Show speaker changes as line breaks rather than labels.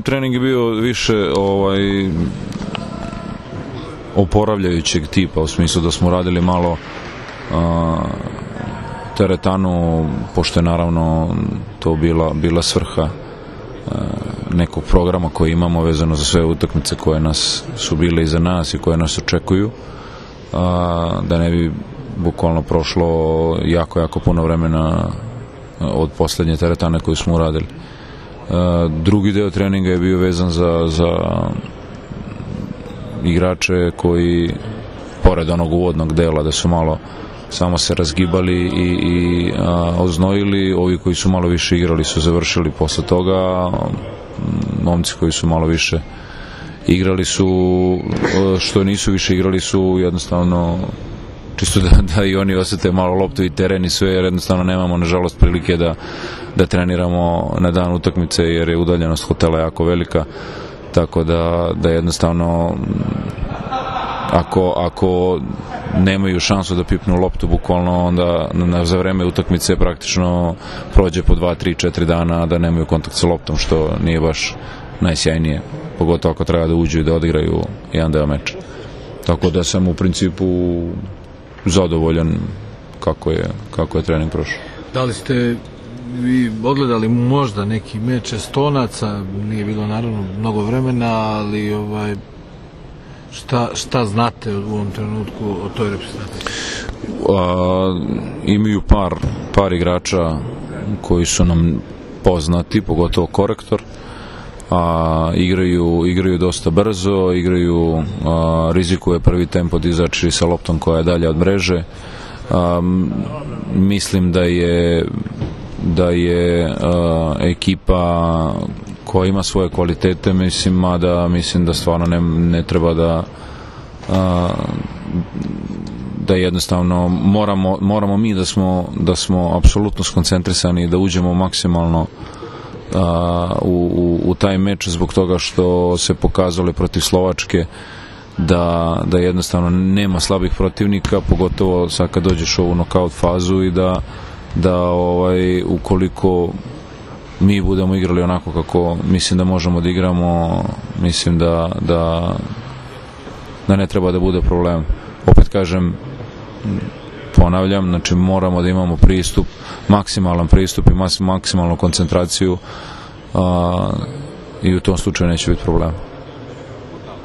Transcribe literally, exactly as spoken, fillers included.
Trening je bio više ovaj, oporavljajućeg tipa, u smislu da smo radili malo a, teretanu, pošto je naravno to bila, bila svrha a, nekog programa koji imamo vezano za sve utakmice koje nas su bile iza nas i koje nas očekuju, a, da ne bi bukvalno prošlo jako, jako puno vremena od poslednje teretane koju smo uradili. Drugi deo treninga je bio vezan za, za igrače koji, pored onog uvodnog dela da su malo samo se razgibali i, i a, oznojili, ovi koji su malo više igrali su završili posle toga, momci koji su malo više igrali su, što nisu više igrali su jednostavno čisto da, da i oni osete malo loptu i teren i sve, jer jednostavno nemamo nažalost prilike da, da treniramo na dan utakmice, jer je udaljenost hotela jako velika, tako da, da jednostavno ako, ako nemaju šansu da pipnu loptu bukvalno, onda na, za vreme utakmice praktično prođe po dva, tri, četiri dana da nemaju kontakt sa loptom, što nije baš najsjajnije, pogotovo ako treba da uđu i da odigraju jedan deo meča. Tako da sam u principu zadovoljan kako je, kako je trening prošao.
Da li ste vi odgledali možda neki meč Estonaca, nije bilo naravno mnogo vremena, ali ovaj, šta, šta znate u ovom trenutku o toj reprezentaciji?
A, imaju par, par igrača koji su nam poznati, pogotovo Korektor, a igraju, igraju dosta brzo, igraju, a, rizikuje prvi tempo da izaći sa loptom koja je dalje od mreže. A, mislim da je da je a, ekipa koja ima svoje kvalitete, mislim, da mislim da stvarno ne, ne treba da a, da jednostavno moramo, moramo mi da smo, da smo apsolutno skoncentrisani i da uđemo maksimalno Uh, u, u, u taj meč, zbog toga što se pokazalo protiv Slovačke da, da jednostavno nema slabih protivnika, pogotovo sad kad dođeš u ovu nokaut fazu, i da, da ovaj, ukoliko mi budemo igrali onako kako mislim da možemo da igramo, mislim da, da, da ne treba da bude problem. Opet kažem, ponavljam, znači moramo da imamo pristup, maksimalan pristup i maksimalnu koncentraciju, a, i u tom slučaju neće biti problema.